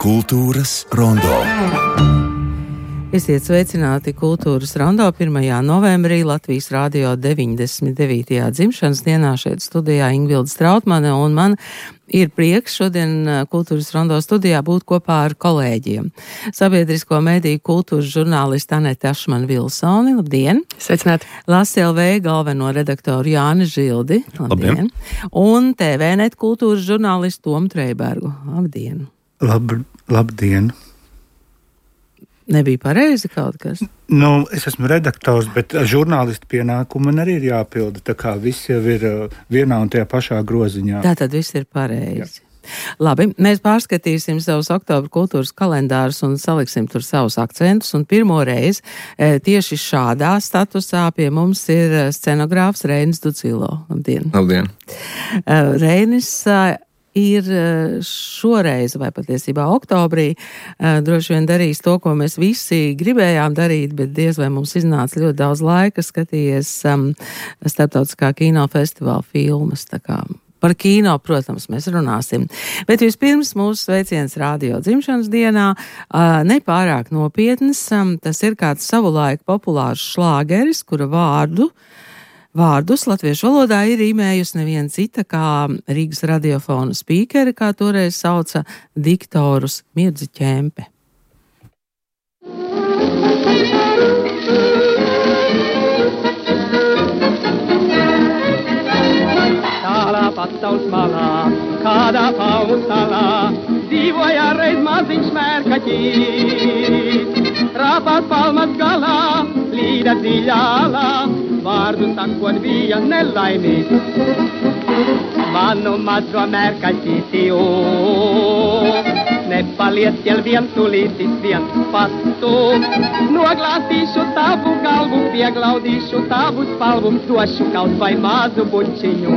Kultūras rondo. Esiet sveicināti Kultūras rondo 1. novembrī Latvijas radio 99. dzimšanas dienā. Šeit studijā Ingvilda Strautmane, un man ir prieks šodien Kultūras rondo studijā būt kopā ar kolēģiem. Sabiedrisko mediju kultūras žurnālisti Anete Ašmane-Vilsoni, labdien! Sveicināti! LasLV galveno redaktoru Jāni Žildi, labdien! Un TVNet kultūras žurnālistu Tomu Treibergu, labdien! Labdien! Nebija pareizi kaut kas? Es esmu redaktors, bet žurnālistu pienākumu man arī ir jāpilda, tā kā viss jau ir vienā un tajā pašā groziņā. Tātad viss ir pareizi. Jā. Labi, mēs pārskatīsim savus oktobra kultūras kalendārus un saliksim tur savus akcentus, un pirmo reizi tieši šādā statusā pie mums ir scenogrāfs Reinis Dudzilo. Labdien! Labdien! Reinis ir šoreiz, vai patiesībā oktobrī, droši vien darīs to, ko mēs visi gribējām darīt, bet diez vai mums iznāca ļoti daudz laika skatījies starptautiskā kinofestivāla filmas, tā kā par kino, protams, mēs runāsim. Bet vispirms mūsu sveiciens radio dzimšanas dienā, nepārāk nopietnas, tas ir kāds savulaik populārs šlāgeris, kura Vārdus latviešu valodā ir īmējusi neviena cita kā Rīgas radiofona spīkeri, kā toreiz sauca diktorus Mirdzi Ķempe. Tālā pasaules malā, kādā palmu salā, dzīvoja reiz maziņš mērkaķis. Rāpās palmas galā, līda dziļālā, vārdu sakot bija nelaimīgs. Manu mazo mērkaķīti, nepaliec jau vientulītis viens pastu. Noglāstīšu tavu galvu, pieglaudīšu tavu spalvu, došu kaut vai mazu bučiņu.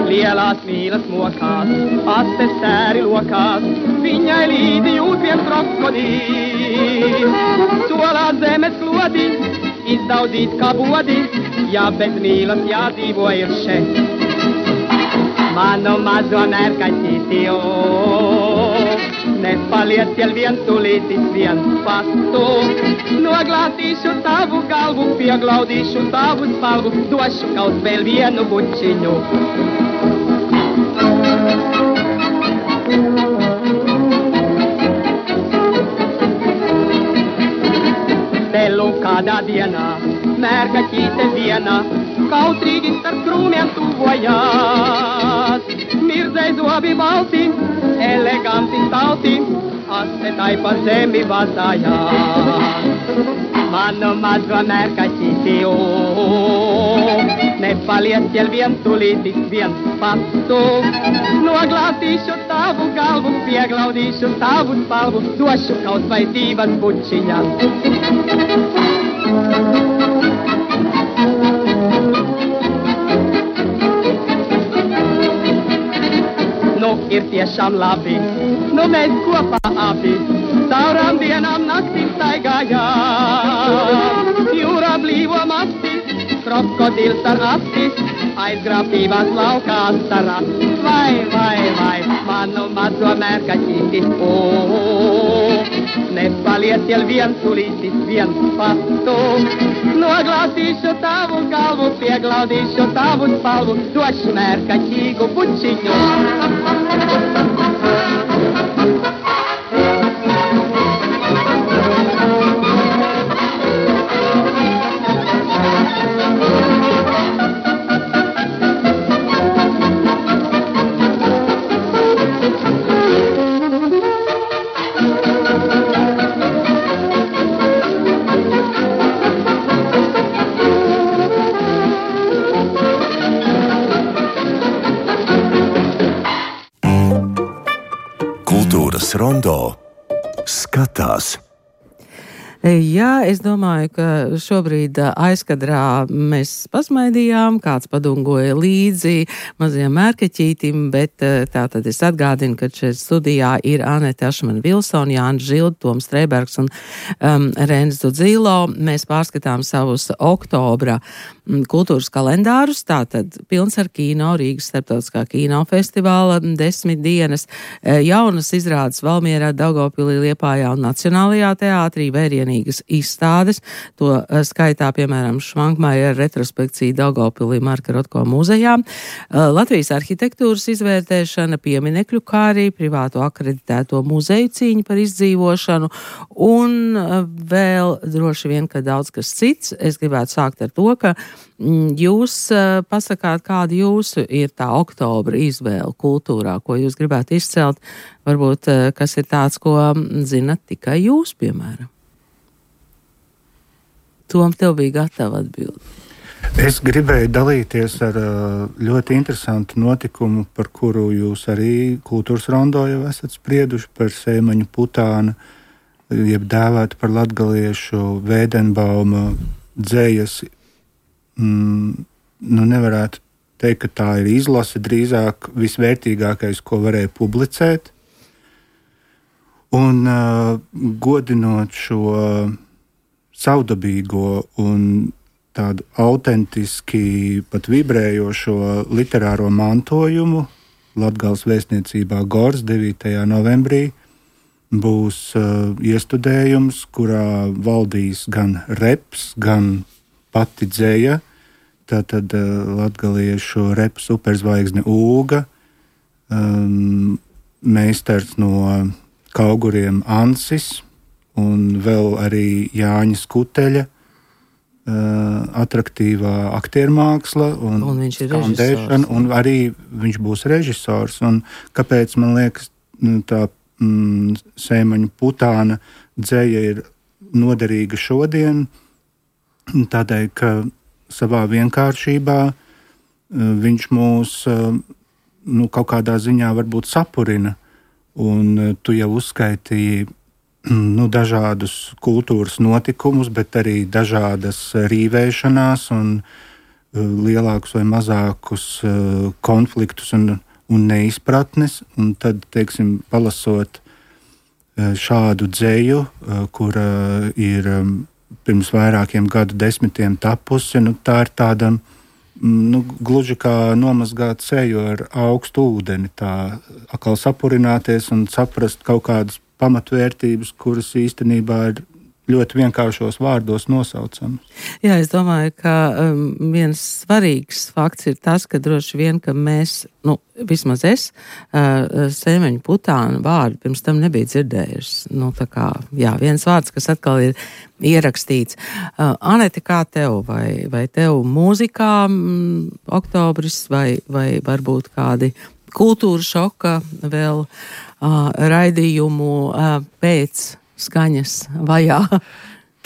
Lielās mīlas mokās, astes sēri lokās, viņai līdi jūt viens krokodīls. Solā zemes klodi, izdaudīt kā bodi, ja bez mīlas jādzīvo ir šeit. Manu mazo mērkaķīti, nepaliec jau vientulītis viens pastu. Noglāstīšu tavu galvu, pieglaudīšu tavu spalvu, došu kaut vēl vienu bučiņu. Kādā dienā, mērkaķīte dienā, kautrīgi starp krūmiem tuvojās. Mirdzei zobi balti, eleganti stalti, astetai pa zemi vazājās. Manu mazo mērkaķīti, nepaliec jau vientulītis viens pastu. Noglāstīšu tavu galvu, pieglaudīšu tavu spalvu, došu kaut vai divas bučiņas. Ir tiešām labi, mēs kopā abi caurām dienām naktīm staigājām. Jūrā blīvo masti, krokodils ar asti, aizgrābtībās laukās sarā. Vai, manu mazo mērkaķīti, nepaliec jau vientulītis viens pastu. Noglāstīšu tavu galvu, pieglaudīšu tavu spalvu, došu mērkaķīgu bučiņu. Kultūras rondo skatās. Jā, es domāju, ka šobrīd aizkadrā mēs pasmaidījām, kāds padungoja līdzi mazajam mērkaķītim, bet tātad es atgādinu, ka šeit studijā ir Anete Ašmana-Vilsona, Jānis Žilda, Toms Streibergs un Renis Dudzīlo. Mēs pārskatām savus oktobra kultūras kalendārus, tātad pilns ar kino, Rīgas starptautiskā kinofestivāla 10 dienas, jaunas izrādes Valmierā, Daugavpilī, Liepājā un Nacionālajā teātrī, vērienīgas izstādes, to skaitā, piemēram, Švankmaja retrospekcija Daugavpilī Marka Rotko muzejā, Latvijas arhitektūras izvērtēšana, pieminekļu kārī, privāto akreditēto muzeju cīņa par izdzīvošanu un vēl droši vien, ka daudz kas cits. Es gribētu sākt ar to, ka jūs pasakāt, kāda jūsu ir tā oktobra izvēle kultūrā, ko jūs gribētu izcelt, varbūt kas ir tāds, ko zinat tikai jūs, piemēram. Tom, tev bija gatava atbildi. Es gribēju dalīties ar ļoti interesantu notikumu, par kuru jūs arī kultūras rondo jau esat sprieduši, par Sēmaņu Putāna, jeb dēvētu par latgaliešu Vēdenbauma dzējas. Nevarētu teikt, ka tā ir izlase, drīzāk visvērtīgākais, ko varēja publicēt. Un godinot šo savdabīgo un tādu autentiski pat vibrējošo literāro mantojumu Latgales vēstniecībā Gors 9. novembrī būs iestudējums, kurā valdīs gan reps, gan pati dzēja. Tātad latgaliešu repa superzvaigzne Ūga, meistars no Kauguriem Ansis un vēl arī Jāņa Skuteļa, atraktīvā aktiermāksla un viņš ir skandēšana, un arī viņš būs režisors. Un kāpēc man liekas tā Sēmaņu Putāna dzēja ir noderīga šodien? Tādēļ, ka savā vienkāršībā viņš mūs kaut kādā ziņā varbūt sapurina. Un tu jau uzskaitīji dažādus kultūras notikumus, bet arī dažādas rīvēšanās un lielākus vai mazākus konfliktus un neizpratnes. Un tad, teiksim, palasot šādu dzēju, kura ir pirms vairākiem gadu desmitiem tapusi, tā ir tāda gluži kā nomazgāt seju ar augstu ūdeni, tā atkal sapurināties un saprast kaut kādas pamatvērtības, kuras īstenībā ir ļoti vienkāršos vārdos nosaucamas. Jā, es domāju, ka viens svarīgs fakts ir tas, ka droši vien, ka mēs, vismaz es, Sēmaņu Putāna vārdu pirms tam nebija dzirdējuši. Viens vārds, kas atkal ir ierakstīts. Anete, kā tev? Vai tev mūzikā oktobris vai varbūt kādi kultūra šoka vēl raidījumu pēc skaņas vajā?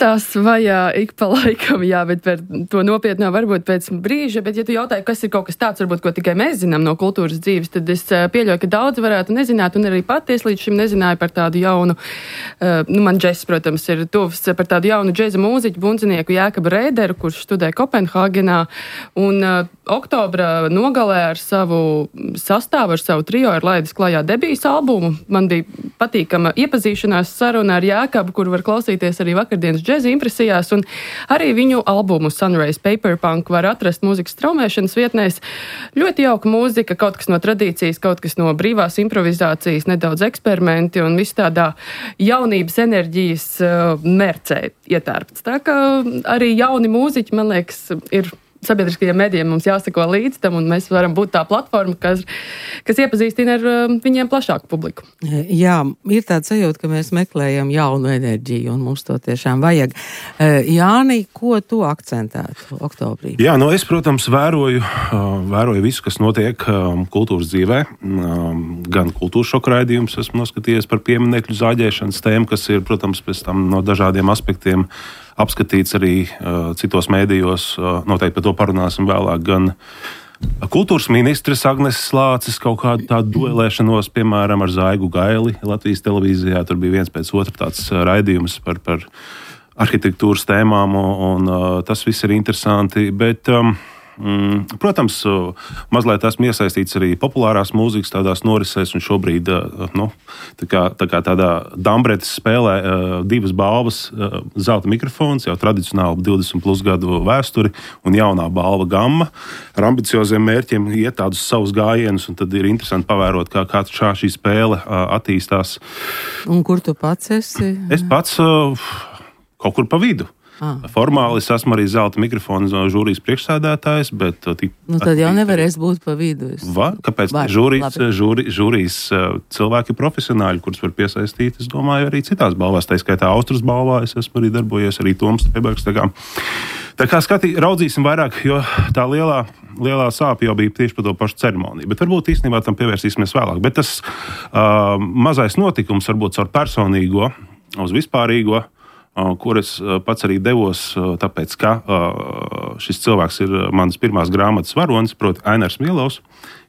Tās vajā ik pa laikam, jā, bet par to nopietnā varbūt pēc brīža, bet ja tu jautāji, kas ir kaut kas tāds, varbūt, ko tikai mēs zinām no kultūras dzīves, tad es pieļauju, ka daudzi varētu nezināt, un arī pati es līdz šim nezināju par tādu jaunu, man džess, protams, ir tuvs, par tādu jaunu džeza mūziķu bundzinieku Jēkabu Rēderu, kurš studē Kopenhāgenā, un oktobra nogalē ar savu sastāvu, ar savu trio ir laidis klajā debijas albumu. Man bija patīkama iepazīšanās saruna ar Jēkabu, kur var klausīties arī vakardienas džeza impresijās, un arī viņu albumu Sunrise Paperpunk var atrast mūzikas straumēšanas vietnēs. Ļoti jauka mūzika, kaut kas no tradīcijas, kaut kas no brīvās improvizācijas, nedaudz eksperimenti un viss tādā jaunības enerģijas mērcē ietērpts. Tā kā arī jauni mūziķi, man liekas, ir sabiedriskajiem medijiem mums jāsako līdz tam, un mēs varam būt tā platforma, kas iepazīstina ar viņiem plašāku publiku. Jā, ir tāds sajūta, ka mēs meklējam jaunu enerģiju, un mums to tiešām vajag. Jāni, ko tu akcentētu oktobrī? Jā, es, protams, vēroju visu, kas notiek kultūras dzīvē. Gan kultūras šoka raidījums esmu noskatījies par pieminekļu zāģēšanas tēmu, kas ir, protams, pēc tam no dažādiem aspektiem apskatīts arī citos mēdījos, noteikti par to parunāsim vēlāk, gan kultūras ministres Agneses Lāces kaut kādu tādu duelēšanos, piemēram, ar Zaigu Gaili Latvijas televīzijā. Tur bija viens pēc otra tāds raidījums par arhitektūras tēmām, un tas viss ir interesanti. Bet, protams, mazliet esmu iesaistīts arī populārās mūzikas tādās norisēs, un šobrīd tā kā tādā Dambretes spēlē divas balvas, zelta mikrofons, jau tradicionāli 20+ gadu vēsturi, un jaunā balva Gamma ar ambicioziem mērķiem iet tādus savus gājienus, un tad ir interesanti pavērot, kā šī spēle attīstās. Un kur tu pats esi? Es pats kaut kur pa vidu. Formāli es esmu arī zelta mikrofona žūrijas priekšsēdētājs, bet... tad jau nevarēs būt pa vidu. Kāpēc? Žūrijas cilvēki profesionāļi, kurus var piesaistīt, es domāju, arī citās balvās. Tā skaitā Austrijas balvā es esmu arī darbojies, arī Toms Streibergs. Tā kā raudzīsim vairāk, jo tā lielā sāpe jau bija tieši par to pašu ceremoniju. Bet varbūt īstenībā tam pievērsīsimies vēlāk. Bet tas mazais notikums varbūt caur personīgo uz vispārīgo, kur es pats arī devos, tāpēc, ka šis cilvēks ir manas pirmās grāmatas varonis, proti Ainars Mielovs,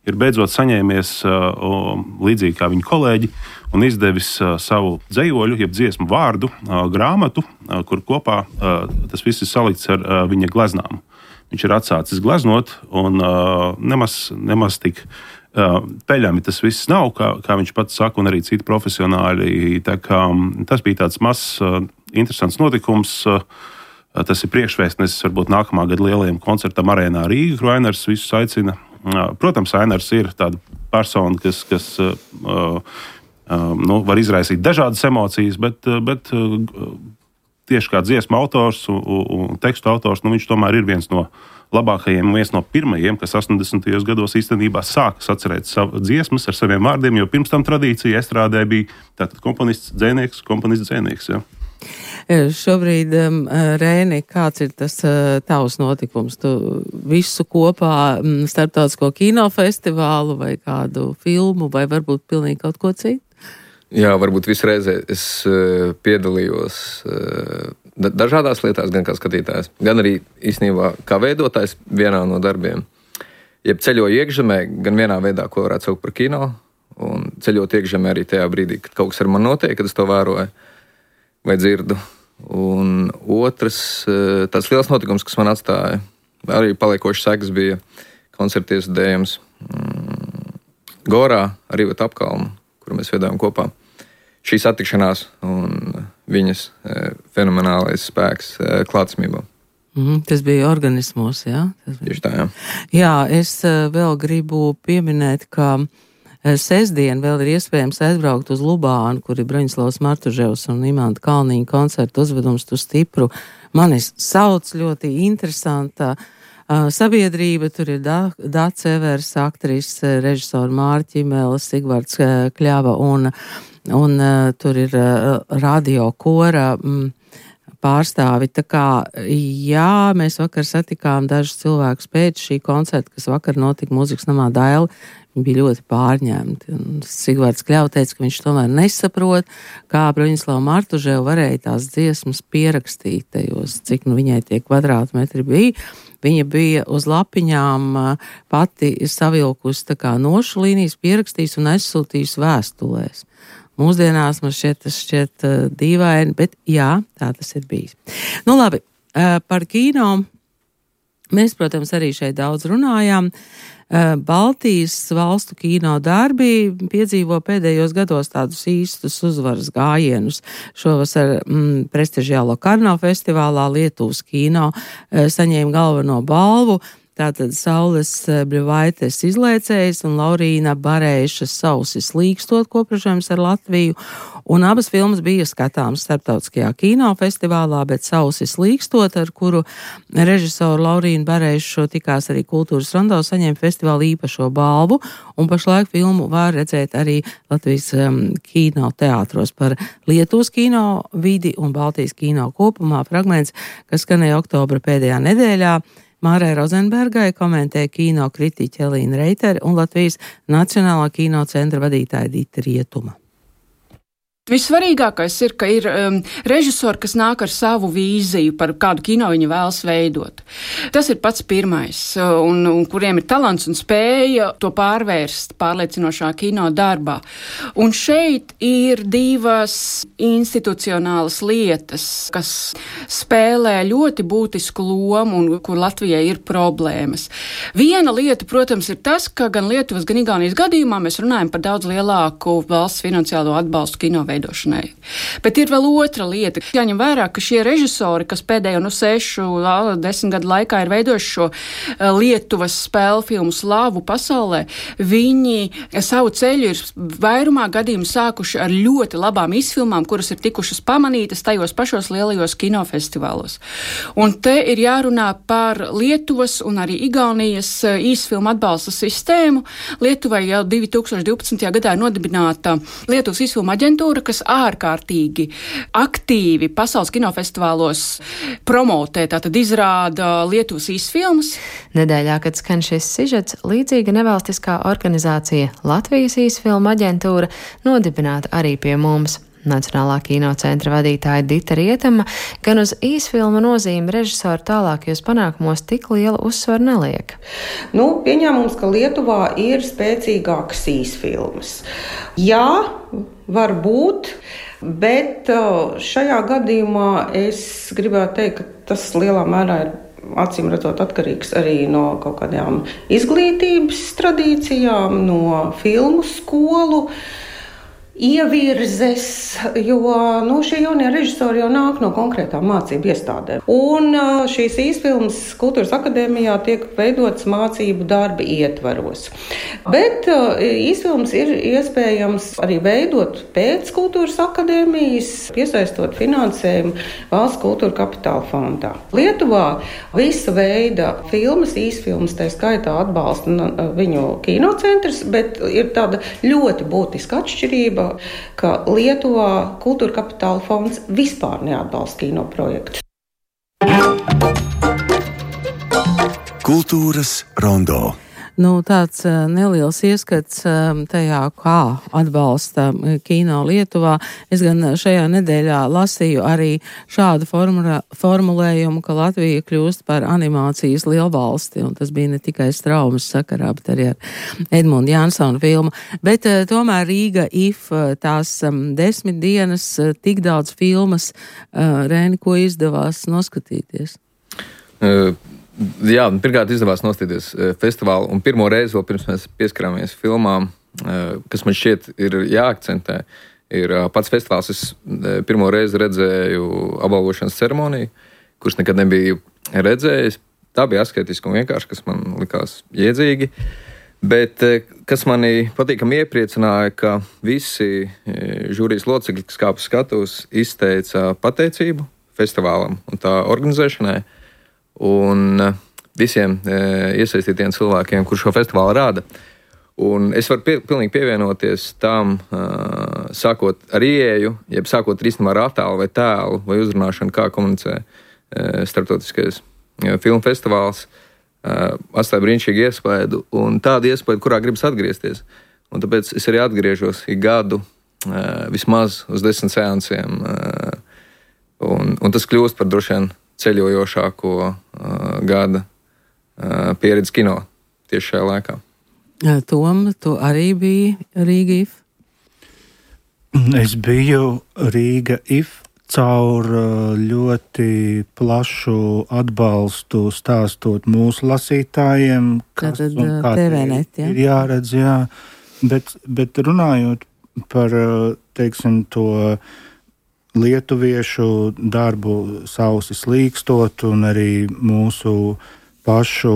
ir beidzot saņēmies līdzīgi kā viņa kolēģi un izdevis savu dzejoļu, jeb dziesmu vārdu grāmatu, kur kopā tas viss ir salikts ar viņa gleznām. Viņš ir atsācis gleznot un nemaz tik peļami tas viss nav, kā viņš pats saka, un arī citi profesionāļi. Tā kā tas bija tāds mazs, interesants notikums. Tas ir priekšvēstnesis varbūt nākamā gada lielajam koncertam Arēnā Rīga, kur Ainars visus aicina. Protams, Ainars ir tāda persona, kas var izraisīt dažādas emocijas, bet tieši kā dziesmu autors un tekstu autors, viņš tomēr ir viens no labākajiem, viens no pirmajiem, kas 80. gados īstenībā sāka atcerēt savu dziesmas ar saviem vārdiem, jo pirms tam tradīcija estrādē bija tātad komponists, dzēnieks. Ja. Šobrīd, Rēni, kāds ir tas tavs notikums? Tu visu kopā starptautisko kinofestivālu vai kādu filmu vai varbūt pilnīgi kaut ko citu? Jā, varbūt visreizē es piedalījos dažādās lietās, gan kā skatītājs, gan arī īstenībā kā veidotājs vienā no darbiem. Jeb ceļoju iekšzemē, gan vienā veidā, ko varētu saukt par kino, un ceļot iekšzemē arī tajā brīdī, kad kaut kas ar mani notiek, kad es to vēroju vai dzirdu. Un otrs, tāds liels notikums, kas man atstāja, arī paliekošs sekas, bija koncerta iestrādājums Gorā ar Ivetu Apkalnu, kuru mēs veidojam kopā. Šī satikšanās un viņas fenomenālais spēks klātsamībā. Tas bija organismos, jā? Tieši tā, jā. Jā, es vēl gribu pieminēt, ka sestdien vēl ir iespējams aizbraukt uz Lubānu, kur ir Broņislavs Martuževs un Imanta Kalniņa koncerta uzvedums Tu stipru. Mani sauc ļoti interesanta sabiedrība, tur ir Dāca Evers, aktrise, režisora Mārķa Ķimela, Sigvards Kļava un tur ir radio kora pārstāvi. Tā kā, jā, mēs vakar satikām dažus cilvēkus pēc šī koncerta, kas vakar notika Mūzikas namā Daila. Viņi bija ļoti pārņemti. Sigvards Kļava teica, ka viņš tomēr nesaprot, kā Broņislava Martuževa varēja tās dziesmas pierakstīt tajos, cik viņai tie kvadrātmetri bija. Viņa bija uz lapiņām pati savilkusi tā kā nošu līnijas, pierakstījis un aizsūtījis vēstulēs. Mūsdienās man tas šķiet dīvaini, bet jā, tā tas ir bijis. Nu labi, par kino mēs, protams, arī šeit daudz runājām. Baltijas valstu kino darbi piedzīvo pēdējos gados tādus īstus uzvaras gājienus. Šovasar prestižiālo Karno festivālā Lietuvas kino saņēma galveno balvu. Tātad Saules Bļuvaites izlaicējs un Laurīna Barēša Sausis līkstot kopražojums ar Latviju. Un abas filmas bija skatāmas starptautiskajā kinofestivālā, bet Sausis līkstot, ar kuru režisoru Laurīnu Barēšu tikās arī Kultūras rondo, saņēma festivāla īpašo balvu. Un pašlaik filmu var redzēt arī Latvijas kino teātros par Lietuvas kino vidi un Baltijas kino kopumā. Fragments, kas skanēja oktobra pēdējā nedēļā. Mārai Rozenbergai komentēja kino kritiķe Elīna Reitere un Latvijas Nacionālā kino centra vadītāja Dita Rietuma. Vissvarīgākais ir, ka ir režisori, kas nāk ar savu vīziju par kādu kino viņi vēlas veidot. Tas ir pats pirmais, un kuriem ir talants un spēja to pārvērst pārliecinošā kino darbā. Un šeit ir divas institucionālas lietas, kas spēlē ļoti būtisku lomu un kur Latvijai ir problēmas. Viena lieta, protams, ir tas, ka gan Lietuvas, gan Igaunijas gadījumā mēs runājam par daudz lielāku valsts finansiālo atbalstu kino veidošanai. Bet ir vēl otra lieta. Jāņem vērā, ka šie režisori, kas pēdējo 6-10 gadu laikā ir veidojuši šo Lietuvas spēļu filmu slavu pasaulē, viņi savu ceļu ir vairumā gadījumu sākuši ar ļoti labām izfilmām, kuras ir tikušas pamanītas tajos pašos lielajos kinofestivālos. Un te ir jārunā par Lietuvas un arī Igaunijas īsfilmu atbalsta sistēmu. Lietuvai jau 2012. gadā ir nodibināta Lietuvas īsfilmu aģentūra, kas ārkārtīgi aktīvi pasaules kinofestivālos promotē, tātad izrāda Lietuvas īsfilmas. Nedēļā, kad skan šis sižets, līdzīga nevalstiskā organizācija Latvijas īsfilmu aģentūra nodibināta arī pie mums. Nacionālā kinocentra vadītāja Dita Rietama gan uz īsfilmu nozīmi režisoru tālākajos panākumos tik lielu uzsvaru neliek. Pieņēmums, ka Lietuvā ir spēcīgākas īsfilmas. Jā, var būt, bet šajā gadījumā es gribētu teikt, ka tas lielā mērā ir acīm redzot atkarīgs arī no kaut kādām izglītības tradīcijām, no filmu skolu ievirzes, jo šie jaunie režisori jau nāk no konkrētām mācību iestādēm. Un šīs īsfilmas Kultūras akadēmijā tiek veidotas mācību darba ietvaros. Bet īsfilmas ir iespējams arī veidot pēc Kultūras akadēmijas, piesaistot finansējumu Valsts kultūra kapitāla fondā. Lietuvā visa veida filmas, īsfilmas, tā skaitā atbalsta viņu kinocentrs, bet ir tāda ļoti būtiska atšķirība, ka Lietuvā Kultūra kapitāla fonds vispār neatbalsta kino projektus. Kultūras rondo. Tāds neliels ieskats tajā, kā atbalsta kino Lietuvā. Es gan šajā nedēļā lasīju arī šādu formulējumu, ka Latvija kļūst par animācijas lielvalsti, un tas bija ne tikai Straumes sakarā, bet arī ar Edmundu Jansonu filmu. Bet tomēr Rīga IF, tās 10 dienas, tik daudz filmas, Rēni, ko izdevās noskatīties? Jā, pirmkārt izdevās nostīties festivālu, un pirmo reizi vēl pirms mēs pieskarāmies filmām, kas man šķiet ir jāakcentē, ir pats festivāls. Es pirmo reizi redzēju apbalvošanas ceremoniju, kurš nekad nebiju redzējis. Tā bija asketiska un vienkārši, kas man likās jēdzīgi. Bet kas mani patīkami iepriecināja, ka visi žūrijas locekļi, kas kāpa skatus, izteica pateicību festivālam un tā organizēšanai. Un visiem iesaistītiem cilvēkiem, kur šo festivālu rāda. Un es varu pilnīgi pievienoties tam, sākot ar ieeju, jeb sākot īstenībā ar attēlu vai tēlu vai uzrunāšanu, kā komunicē starptautiskais filmu festivāls, atstāja brīnišķīgu iespaidu un tādu iespaidu, kurā gribas atgriezties. Un tāpēc es arī atgriežos ik gadu vismaz uz 10 seansiem. Un tas kļūst par droši vien ceļojošāko gada pieredzi kino tieši šajā laikā. Tom, tu arī biji Rīga IF? Es biju Rīga IF caur ļoti plašu atbalstu stāstot mūsu lasītājiem, kas un kā TVNet, ir jāredz, jā. Bet runājot par, teiksim, to lietuviešu darbu sausi slīkstot un arī mūsu pašu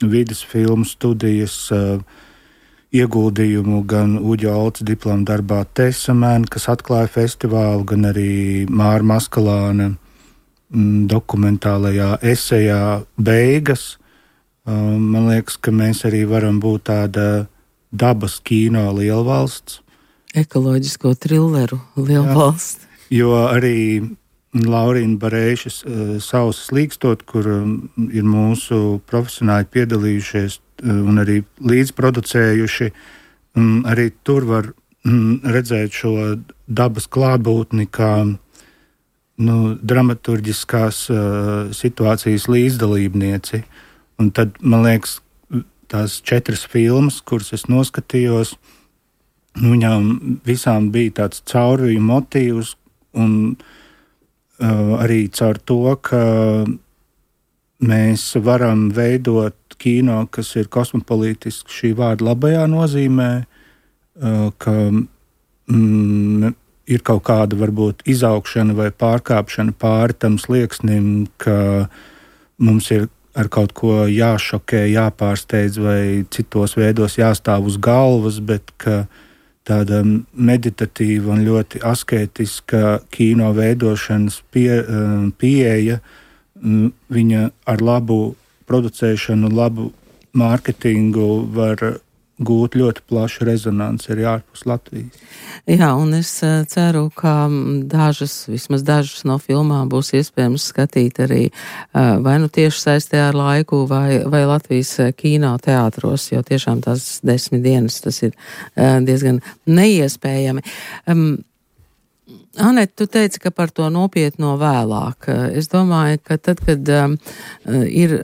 vides filmu studijas ieguldījumu gan Uģa Olts diploma darbā Tesamēn, kas atklāja festivālu, gan arī Māra Maskalāna dokumentālajā esejā Beigas. Man liekas, ka mēs arī varam būt tāda dabas kino lielvalsts. Ekoloģisko trilleru lielvalsts. Jo arī Laurīna Barēšas sausa slīkstot, kur ir mūsu profesionāļi piedalījušies un arī līdzproducējuši, arī tur var redzēt šo dabas klātbūtni kā dramaturģiskās situācijas līdzdalībnieci. Un tad, man liekas, tās 4 filmas, kuras es noskatījos, viņām visām bija tāds caurviju motīvs, un arī caur to, ka mēs varam veidot kino, kas ir kosmopolītisks šī vārda labajā nozīmē, ka ir kaut kāda varbūt izaugšana vai pārkāpšana pāri tam slieksnim, ka mums ir ar kaut ko jāšokē, jāpārsteidz vai citos veidos jāstāv uz galvas, bet ka tāda meditatīva un ļoti asketiska kino veidošanas pieeja, viņa ar labu producēšanu, labu mārketingu var gūt ļoti plašu rezonanci arī ārpus Latvijas. Jā, un es ceru, ka vismaz dažas no filmām būs iespējams skatīt arī vai nu tieši saistē ar laiku vai Latvijas kinoteātros, jo tiešām tās 10 dienas tas ir diezgan neiespējami. Anete, tu teici, ka par to nopietno vēlāk. Es domāju, ka tad, kad ir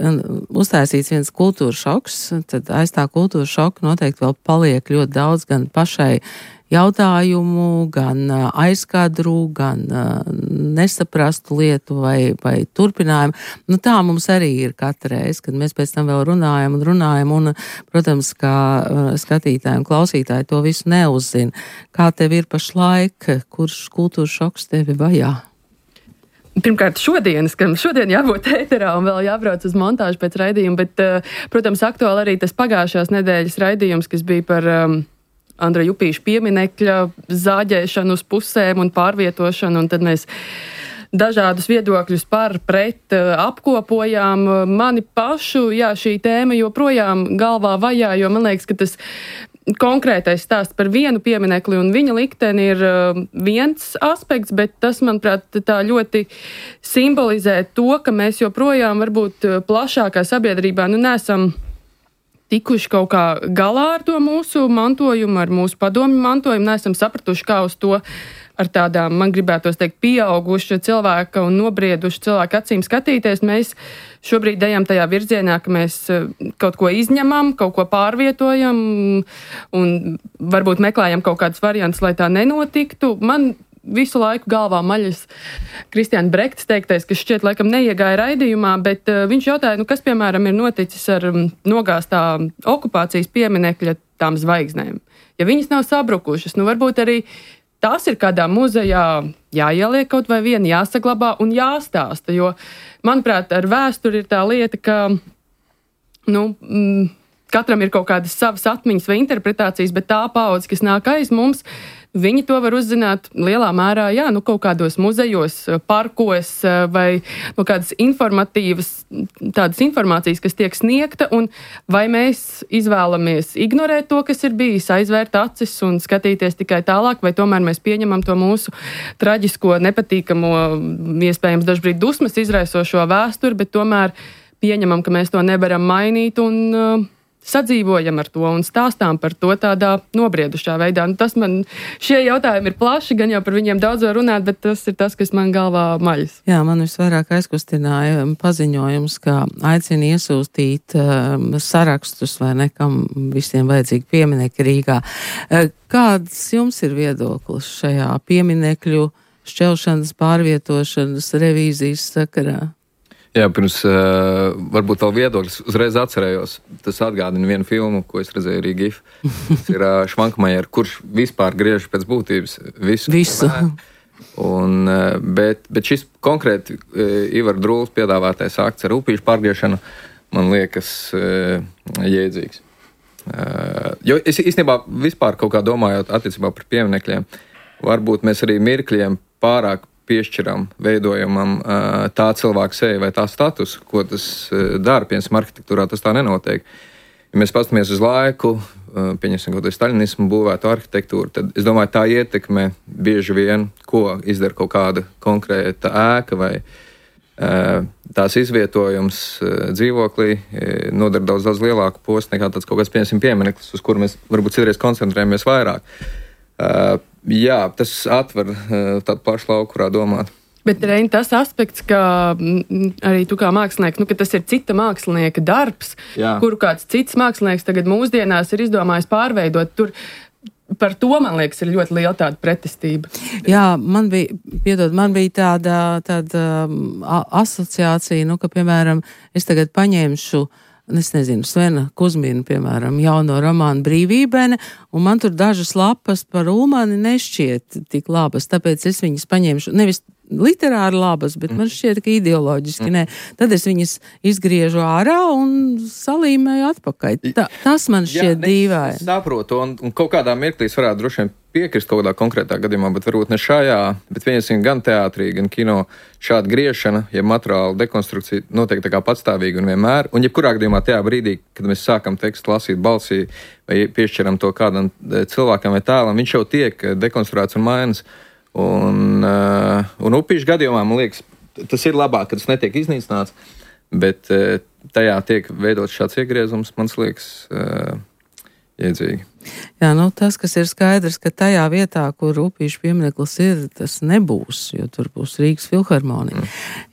uztaisīts viens kultūras šoks, tad aiz tā kultūras šoka noteikti vēl paliek ļoti daudz gan pašai jautājumu, gan aizkadru, gan nesaprastu lietu vai turpinājumu. Tā mums arī ir katra reize, kad mēs pēc tam vēl runājam, un, protams, kā skatītāji un klausītāji to visu neuzzina. Kā tev ir pašlaik, kurš kultūras šoks tevi vajā? Pirmkārt, šodien jābūt ēterā un vēl jābrauc uz montāžu pēc raidījuma, bet, protams, aktuāli arī tas pagājušās nedēļas raidījums, kas bija par Andra Jupīša pieminekļa zāģēšanu uz pusēm un pārvietošanu, un tad mēs dažādus viedokļus par pret apkopojām. Mani pašu, šī tēma joprojām galvā vajā, jo man liekas, ka tas konkrētais stāsts par vienu pieminekli un viņa likteni ir viens aspekts, bet tas, manuprāt, tā ļoti simbolizē to, ka mēs joprojām varbūt plašākā sabiedrībā nesam tikuši kaut kā galā ar to mūsu mantojumu, ar mūsu padomju mantojumu, neesam sapratuši, kā uz to ar tādām, man gribētos teikt, pieauguša cilvēka un nobrieduša cilvēka acīm skatīties. Mēs šobrīd ejam tajā virzienā, ka mēs kaut ko izņemam, kaut ko pārvietojam un varbūt meklējam kaut kādus variantus, lai tā nenotiktu. Man visu laiku galvā maļas Kristiāna Brektas teiktais, kas šķiet laikam neiegāja raidījumā, bet viņš jautāja, kas, piemēram, ir noticis ar nogāztā okupācijas pieminekļa tām zvaigznēm. Ja viņas nav sabrukušas, varbūt arī tās ir kādā muzejā jāieliek kaut vai viena, jāsaglabā un jāstāsta, jo, manuprāt, ar vēsturi ir tā lieta, ka, katram ir kaut kādas savas atmiņas vai interpretācijas, bet tā paudze, kas nāk aiz mums, viņi to var uzzināt lielā mērā, kaut kādos muzejos, parkos vai kādas informatīvas, tādas informācijas, kas tiek sniegta, un vai mēs izvēlamies ignorēt to, kas ir bijis, aizvērt acis un skatīties tikai tālāk, vai tomēr mēs pieņemam to mūsu traģisko, nepatīkamo, iespējams dažbrīd dusmas izraisošo vēsturi, bet tomēr pieņemam, ka mēs to nevaram mainīt un sadzīvojam ar to un stāstām par to tādā nobriedušā veidā. Šie jautājumi ir plaši, gan jau par viņiem daudz var runāt, bet tas ir tas, kas man galvā maļas. Jā, man visvairāk aizkustināja paziņojums, ka aicina iesūstīt sarakstus vai nekam visiem vajadzīgi pieminekļi Rīgā. Kāds jums ir viedoklis šajā pieminekļu šķelšanas, pārvietošanas, revīzijas sakarā? Jā, pirms varbūt vēl viedoklis uzreiz atcerējos. Tas atgādina vienu filmu, ko es redzēju arī GIF. Tas ir Švankmajer, kurš vispār griež pēc būtības visu. Bet šis konkrēti Ivar Drūls piedāvātais akts ar upīšu pārgriešanu man liekas jēdzīgs. Jo es īstenībā vispār kaut kā domājot attiecībā par pieminekļiem, varbūt mēs arī mirkļiem pārāk piešķiram, veidojamam tā cilvēka seju vai tā status, ko tas dara, piemēram, arhitektūrā tas tā nenotiek. Ja mēs pastamies uz laiku, pieņemsim kaut kādu staļinismu būvētu arhitektūru, tad es domāju, tā ietekme bieži vien, ko izdara kaut kāda konkrēta ēka vai tās izvietojums dzīvoklī, nodara daudz lielāku postu nekā tāds kaut kāds, piemēram, piemineklis, uz kuru mēs varbūt citreiz koncentrējamies vairāk. Jā, tas atver tādu plašu lauku, kurā domāt. Bet Reini, tas aspekts, ka arī tu kā mākslinieks, ka tas ir cita mākslinieka darbs, kuru kāds cits mākslinieks tagad mūsdienās ir izdomājis pārveidot, tur par to, man liekas, ir ļoti liela tāda pretestība. Jā, man bija tāda asociācija, ka, piemēram, es tagad paņemšu, es nezinu, Svena Kuzmina, piemēram, jauno romānu Brīvībene, un man tur dažas lapas par Ulmani nešķiet tik labas, tāpēc es viņas paņemšu, nevis literāri labas, bet man šķiet, ka ideoloģiski nē. Tad es viņas izgriežu ārā un salīmēju atpakaļ. Tas man šķiet dīvaini. Es saprotu, un kaut kādā mirklī es varētu droši vien piekrist kaut kādā konkrētā gadījumā, bet varbūt ne šajā, bet viensim gan teātrī, gan kino šāda griešana, ja materiāla dekonstrukcija notiek tā kā patstāvīgi un vienmēr, un jebkurā gadījumā tajā brīdī, kad mēs sākam tekstu lasīt balsī vai piešķiram to kādam cilvēkam vai tēlam, viņš jau tiek dekonstruēts un mainas. Un upīšu gadījumā, man liekas, tas ir labāk, ka tas netiek iznīcināts, bet tajā tiek veidots šāds iegriezums, man liekas, iedzīgi. Jā, tas, kas ir skaidrs, ka tajā vietā, kur upīšu piemineklis ir, tas nebūs, jo tur būs Rīgas filharmonija.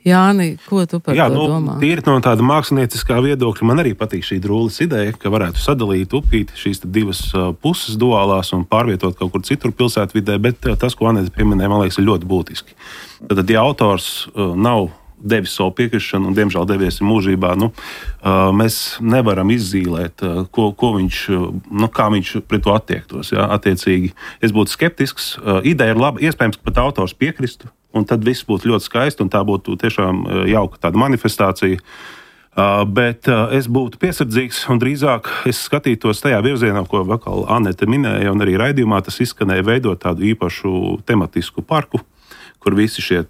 Jāni, ko tu par to domā? Tīri no tāda mākslinieckā viedokļa man arī patīk šī Drūles ideja, ka varētu sadalīt upīti šīs divas puses duālās un pārvietot kaut kur citur pilsētvidē, bet tas, ko Anete pieminēja, man liekas, ir ļoti būtiski. Tad, ja autors nav devis savu piekrišanu un, diemžēl, devies mūžībā, mēs nevaram izzīlēt, ko viņš, kā viņš pret to attiektos. Ja? Attiecīgi, es būtu skeptisks. Ideja ir laba, iespējams, ka pat autors piekristu, un tad viss būtu ļoti skaisti, un tā būtu tiešām jauka tāda manifestācija. Bet es būtu piesardzīgs, un drīzāk es skatītos tajā virzienā, ko vakar Anete minēja, un arī raidījumā tas izskanēja, veidot tādu īpašu tematisku parku, kur visi šie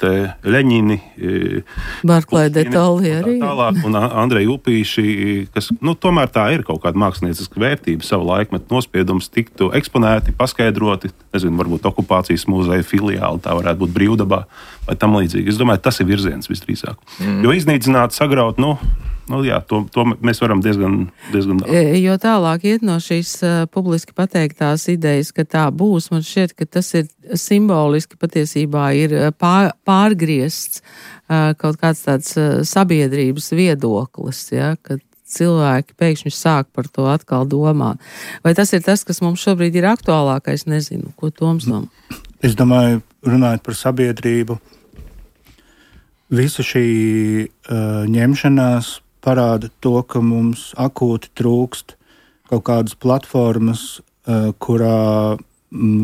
Ļeņini, Barklai de Tolli arī. Tālāk, un Andreji Upīši, kas, tomēr tā ir kaut kāda mākslinieciska vērtība, savu laikmetu nospiedums tiktu eksponēti, paskaidroti, nezinu, varbūt okupācijas muzeja filiāli, tā varētu būt Brīvdabā vai tam līdzīgi. Es domāju, tas ir virziens visdrīzāk. Jo iznīcināt, sagraut, to mēs varam diezgan Jo tālāk iet no šīs publiski pateiktās idejas, ka tā būs, man šķiet, ka tas ir simboliski patiesībā ir pārgriezts kaut kāds tāds sabiedrības viedoklis, ja, kad cilvēki pēkšņi sāk par to atkal domāt. Vai tas ir tas, kas mums šobrīd ir aktuālākais? Nezinu, ko Toms domā. Es domāju, runājot par sabiedrību, visa šī ņemšanās parāda to, ka mums akūti trūkst kaut kādas platformas, kurā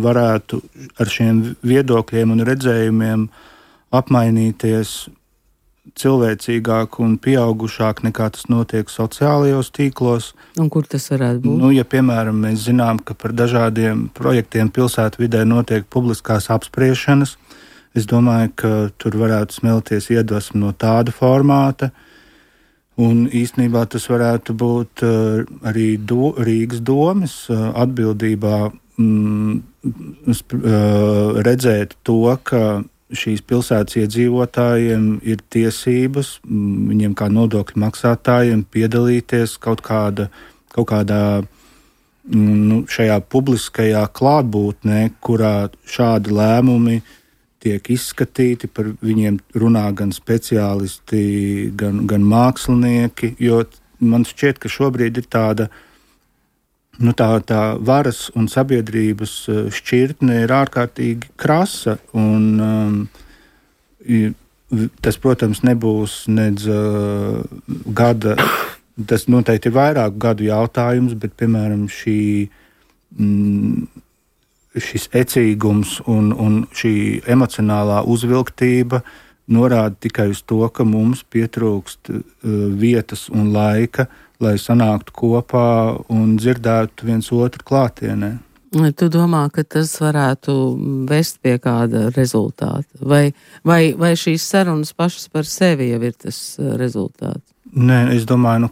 varētu ar šiem viedokļiem un redzējumiem apmainīties cilvēcīgāk un pieaugušāk nekā tas notiek sociālajos tīklos. Un kur tas varētu būt? Ja, piemēram, mēs zinām, ka par dažādiem projektiem pilsētvidē notiek publiskās apspriešanas, es domāju, ka tur varētu smelties iedvesma no tāda formāta. Un īstenībā tas varētu būt arī Rīgas domes atbildībā redzēt to, ka šīs pilsētas iedzīvotājiem ir tiesības, viņiem kā nodokļu maksātājiem piedalīties kaut kādā šajā publiskajā klātbūtnē, kurā šādi lēmumi tiek izskatīti, par viņiem runā gan speciālisti, gan mākslinieki, jo man šķiet, ka šobrīd ir tāda varas un sabiedrības šķirtne ir ārkārtīgi krasa, un tas, protams, nebūs nedz gada, tas noteikti ir vairāku gadu jautājums, bet, piemēram, šis ecīgums un šī emocionālā uzvilktība norāda tikai uz to, ka mums pietrūkst vietas un laika, lai sanāktu kopā un dzirdētu viens otru klātienē. Tu domā, ka tas varētu vest pie kāda rezultāta? Vai šīs sarunas pašas par sevi jau ir tas rezultāts? Nē, es domāju,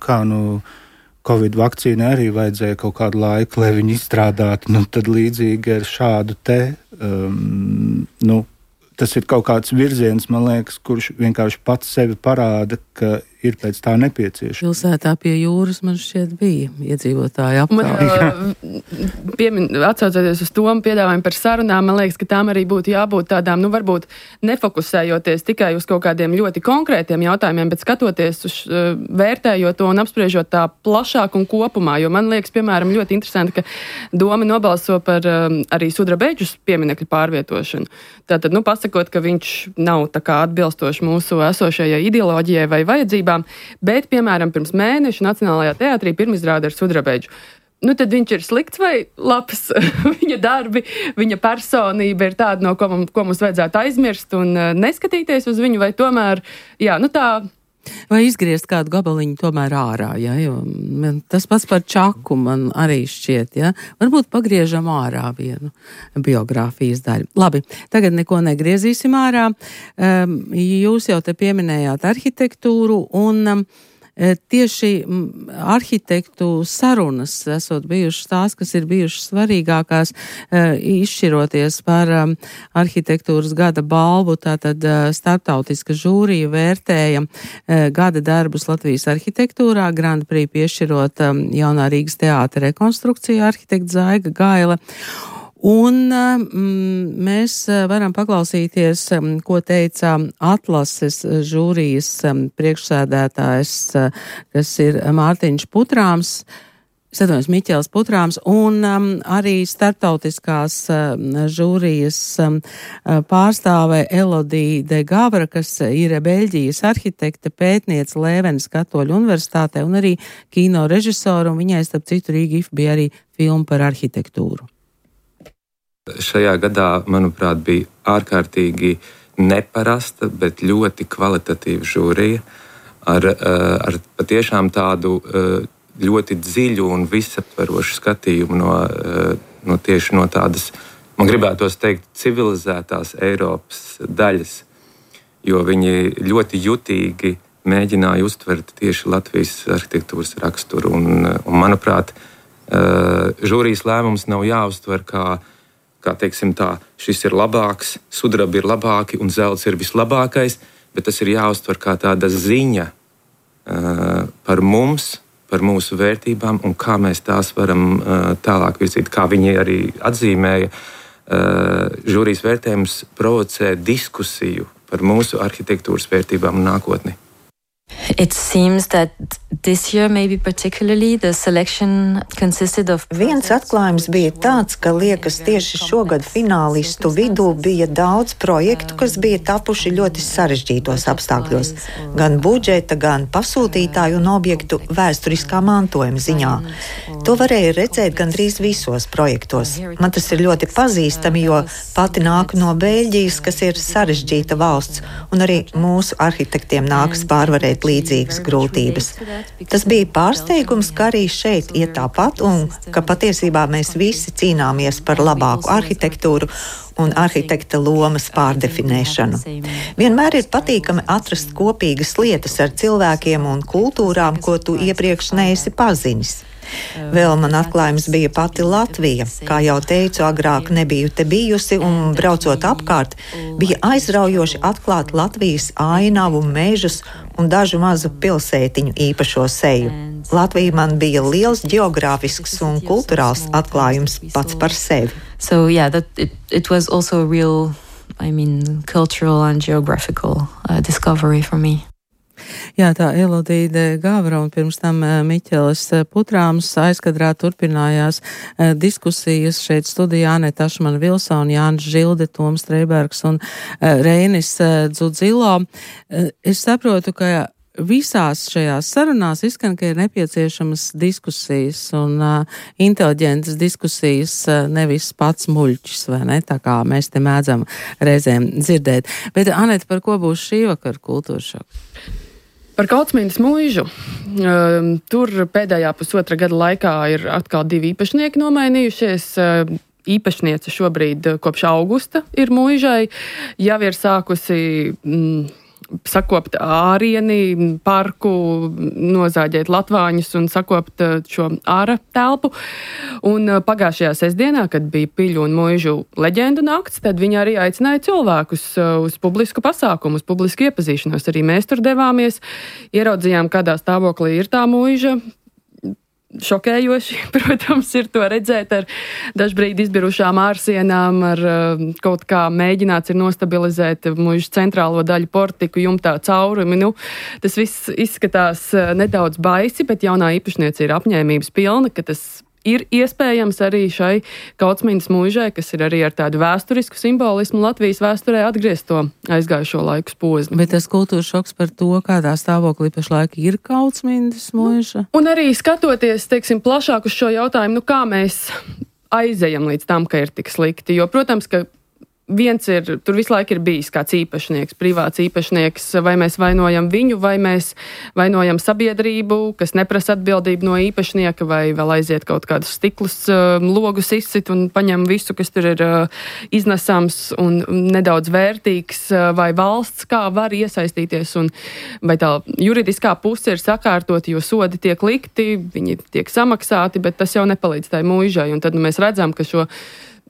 Covid vakcīnai arī vajadzēja kaut kādu laiku, lai viņi izstrādātu, tad līdzīgi ar šādu tas ir kaut kāds virziens, man liekas, kurš vienkārši pats sevi parāda, ka ir pēc tā nepieciešama. Pilsētā pie jūras man šķiet bija iedzīvotāji Atsaucoties uz to piedāvājumu par sarunām, man liekas, ka tām arī būtu jābūt tādām, varbūt nefokusējoties tikai uz kaut kādiem ļoti konkrētiem jautājumiem, bet skatoties uz vērtējot to un apspriežot tā plašāk un kopumā, jo man liekas, piemēram, ļoti interesanti, ka Doma nobalso par arī sudrabeģus pieminekļu pārvietošanu. Tātad, pasakot, ka viņš nav tā kā atbilstoši mūsu esošajai ideoloģijai vai vajadzībām, bet, piemēram, pirms mēneša Nacionālajā teātrī pirmizrāde ar sudrabeģu. Tad viņš ir slikts vai labs? Viņa darbi, viņa personība ir tāda, no ko mums vajadzētu aizmirst un neskatīties uz viņu, vai tomēr, tā... Vai izgriezt kādu gabaliņu tomēr ārā, jo tas pats par Čaku man arī šķiet, Varbūt pagriežam ārā vienu biogrāfijas daļu. Labi, tagad neko negriezīsim ārā. Jūs jau te pieminējāt arhitektūru un tieši arhitektu sarunas esot bijušas tās, kas ir bijušas svarīgākās, izšķiroties par arhitektūras gada balvu, tātad starptautiska žūrija vērtēja gada darbus Latvijas arhitektūrā, Grand Prix piešķirot jaunā Rīgas teātra rekonstrukcija arhitekta Zaiga Gaile. Un mēs varam paklausīties, ko teica atlases žūrijas priekšsēdētājs, kas ir Mārtiņš Putrāms, Miķels Putrāms, un arī starptautiskās žūrijas pārstāve Elodija de Gavra, kas ir Beļģijas arhitekte, pētniece Lēvenes Katoļu universitātē un arī kino režisora, un viņai, starp citu, Rīga IF bija arī filma par arhitektūru. Šajā gadā, manuprāt, bija ārkārtīgi neparasta, bet ļoti kvalitatīva žūrija ar patiešām tādu ļoti dziļu un visaptverošu skatījumu no tieši no tādas, man gribētos teikt, civilizētās Eiropas daļas, jo viņi ļoti jutīgi mēģināja uztvert tieši Latvijas arhitektūras raksturu. Un manuprāt, žūrijas lēmums nav jāuztver kā teiksim tā, šis ir labāks, sudrabi ir labāki un zelts ir vislabākais, bet tas ir jāuztver kā tāda ziņa par mums, par mūsu vērtībām un kā mēs tās varam tālāk virzīt. Kā viņi arī atzīmēja, žūrijas vērtējums provocē diskusiju par mūsu arhitektūras vērtībām un nākotni. It seems that this year maybe particularly the selection consisted of... Viens atklājums bija tāds, ka liekas tieši šogad finālistu vidū bija daudz projektu, kas bija tapuši ļoti sarežģītos apstākļos. Gan budžeta, gan pasūtītāju un objektu vēsturiskā mantojuma ziņā. To varēja redzēt gandrīz visos projektos. Man tas ir ļoti pazīstami, jo pati nāku no Beļģijas, kas ir sarežģīta valsts, un arī mūsu arhitektiem nākas pārvarēt līdzīgas grūtības. Tas bija pārsteigums, ka arī šeit iet tāpat un ka patiesībā mēs visi cīnāmies par labāku arhitektūru un arhitekta lomas pārdefinēšanu. Vienmēr ir patīkami atrast kopīgas lietas ar cilvēkiem un kultūrām, ko tu iepriekš neesi pazinis. Vēl man atklājums bija pati Latvija. Kā jau teicu, agrāk nebiju te bijusi un braucot apkārt, bija aizraujoši atklāt Latvijas ainavu, mežus un dažu mazu pilsētiņu īpašo seju. Latvija man bija liels geogrāfisks un kulturāls atklājums pats par sevi. So yeah, it was also a real, cultural and geographical discovery for me. Jā, tā Elodija de Gavra un pirms tam Miķelis Putrāms aizkadrā turpinājās diskusijas šeit studijā Aneta Ašmana Vilsona, Jānis Žilde, Toms Streibergs un Reinis Dzudzilo. Es saprotu, ka visās šajās sarunās izskan, ka ir nepieciešamas diskusijas un inteliģentas diskusijas, nevis pats muļķis, vai ne, tā kā mēs te mēdzam reizēm dzirdēt. Bet, Aneta, par ko būs šī vakar kultūras šoks? Par Kautsmīnas mūžu. Tur pēdējā pusotra gada laikā ir atkal 2 īpašnieki nomainījušies. Īpašniece šobrīd kopš augusta ir mūžai. Jau ir sākusi sakopt ārieni, parku, nozāģēt latvāņus un sakopt šo āra telpu. Un pagājušajā sestdienā, kad bija Piļu un Muižu leģendu nakts, tad viņi arī aicināja cilvēkus uz publisku pasākumu, uz publisku iepazīšanos. Arī mēs tur devāmies, ieraudzījām, kādā stāvoklī ir tā Muiža. Šokējoši, protams, ir to redzēt ar dažbrīd izbirušām ārsienām, ar kaut kā mēģināts ir nostabilizēt Muižas centrālo daļu portiku, jumtā caurumi. Tas viss izskatās nedaudz baisi, bet jaunā īpašniece ir apņēmības pilna, ka tas ir iespējams arī šai Kautsmīnas Muižai, kas ir arī ar tādu vēsturisku simbolismu Latvijas vēsturē atgriezt to aizgājušo laiku posmu. Bet tas kultūras šoks par to, kādā stāvoklī pašlaik ir Kautsmīnas Muiža. Un arī skatoties, teiksim, plašāk uz šo jautājumu, kā mēs aizejam līdz tam, ka ir tik slikti. Jo, protams, ka viens ir, tur visu laiku ir bijis kāds īpašnieks, privāts īpašnieks, vai mēs vainojam viņu, vai mēs vainojam sabiedrību, kas neprasa atbildību no īpašnieka, vai vēl aiziet kaut kādus stiklus, logus izsit un paņem visu, kas tur ir iznesams un nedaudz vērtīgs, vai valsts kā var iesaistīties, un vai tā juridiskā puse ir sakārtota, jo sodi tiek likti, viņi tiek samaksāti, bet tas jau nepalīdz tai Muižai, un tad mēs redzam, ka šo